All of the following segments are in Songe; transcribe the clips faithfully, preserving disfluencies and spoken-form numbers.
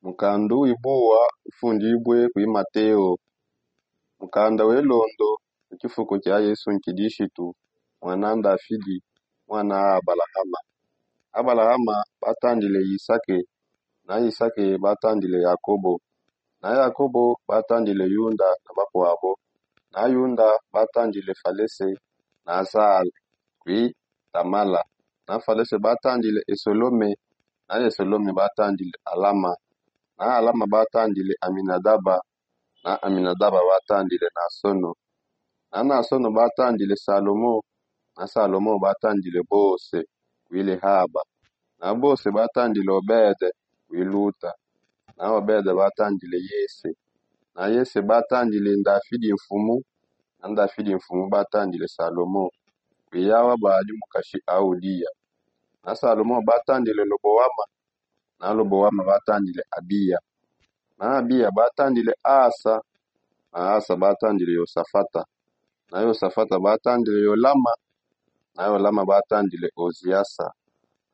Mukanda uibua ufundibue kui mateo. Mukanda welondo. Mu tshifuku tshia yesu nkidishitu, mwana ndafidi, mwana a abalahama. Abalahama batandile yisake, na yisake batandile yakobo, na yakobo batandile yunda na bakuabo, na yunda batandile falese, na sala, kui tamala, na falese batandile esolome, na esolome batandile alama, na alama batandile aminadaba, na aminadaba batandile nasono, na nasono batandile salomo, na salomo batandile bose, kuile haba, na bose batandile obede, kuiluta, na obede batandile yese, na yese batandile ndafidi mfumu, na ndafidi mfumu batandile salomo, kuiyawa badi mukashi audiya, na salomo batandile lobowama, na lobowama batandile abiya, na abiya batandile asa, na asa batandile yosafata, na yosafata batandile yolama, na yolama batandile oziasa,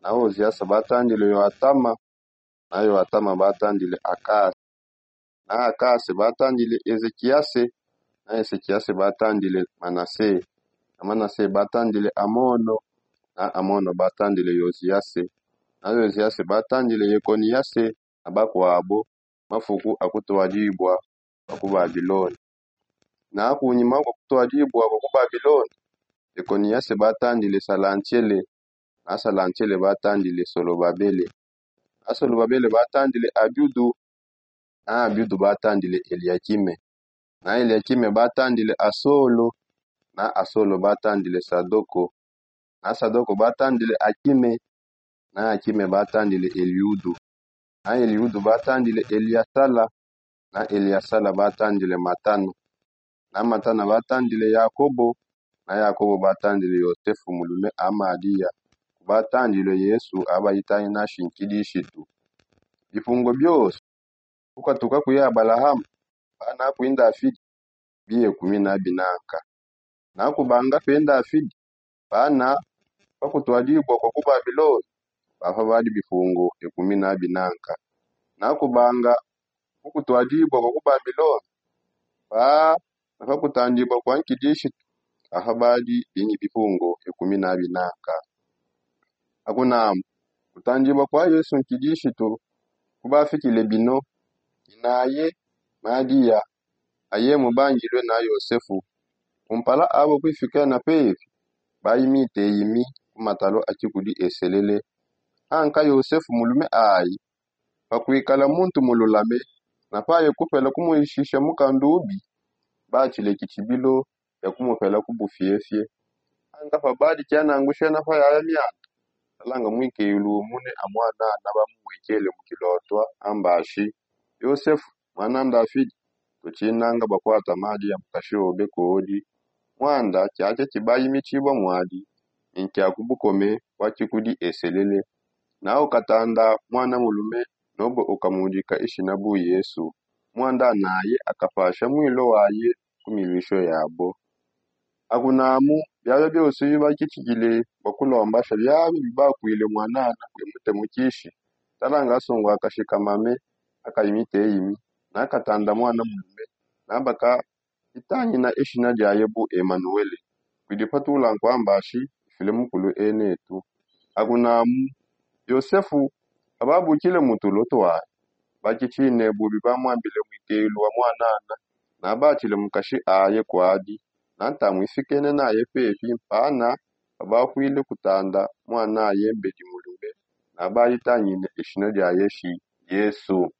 na oziasa batandile yoatama, na yoatama batandile akase, na akase batandile ezekiyase, na ezekiyase batandile manase, na manase batandile amono, na amono batandile yoziyase, na yoziyase batandile yekoniyase, na bakuabo, mafuku akutuadibua bua ku babilone. Na kunyima kua kutuadibua bua ku babilone, yekoniyase batandile salantiele, na salantiele batandile solobabele, na solobabele batandile abiudu, na abiudu batandile eliakime, na eliakime batandile asolo, na asolo batandile sadoko, na sadoko batandile akime, na akime batandile eliudu, na eliudu batandile eliasala, na eliasala batandile matana, na matana batandile yakobo, na yakobo batandile yosefu mulume amadiya, kubatandile yesu abayitanginashi nkidishitu. Bipungo biose, kukatuka kui abalahama, pana kui ndafidi, biye kumi na binanka. Na kubanga pe ndafidi, pana pakutuadibua kua ku babilone, papa badi bipungo ekumi na binanka. Na kubanga kukutuadibua kua ku babilone, pana pakutandibua kua nkidishitu, papa badi bingi bipungo ekumi na binanka. Akunamu, kutandibua kua yesu nkidishitu kubafikile bino, inaye, madiya, aye mubangilue na yosefu, kumpala abo kuifika na pepi, bayi miteyimi ku matalo a tshikudi eselele. Anka yosefu mulume ayi, pakuikala muntu mululame, na paye kupela kumuishisha mukandubi, batshile kitshibilo ya kumupela ku bufiefie. Anka pabadi kianangushena pa yaya mianda, talanga muikeyulu umune a muanana bamumuikele mu kilotwa, ambashi, yosefu, muana ndafidi, tutshinanga bakuata madiya mukashi obe kodi. Muanda kiakia kibayi mitshibua muadi, ni nkia ku bukome bua tshikudi eselele. Na ukatanda muana mulume, nobue ukamudika ishina bu yesu. Muanda naye akapasha muilo waye ku miluisho yabo. Akunamu, biabia biose bibakitshikile bua kulombasha biabia bibakuile muanana kuimute mu kishi. Talanga asongo akashika mame, akayi miteyimi, na akatanda muana mulume, na baka itangina eshina diaye bu emanuele, kudi patula nkuambashi ifile mukulu enetu. Akunamu, yosefu, pababukile mu tulo tuaye, bakitshine bubi bamuambile muikeyulu wa muanana, na batshile mukashi aye kuadi, na ntamu ifikene naye pepi mpana, pabakuile kutanda muanaye mbedi mulume, na bayitangine eshina diaye shi yesu.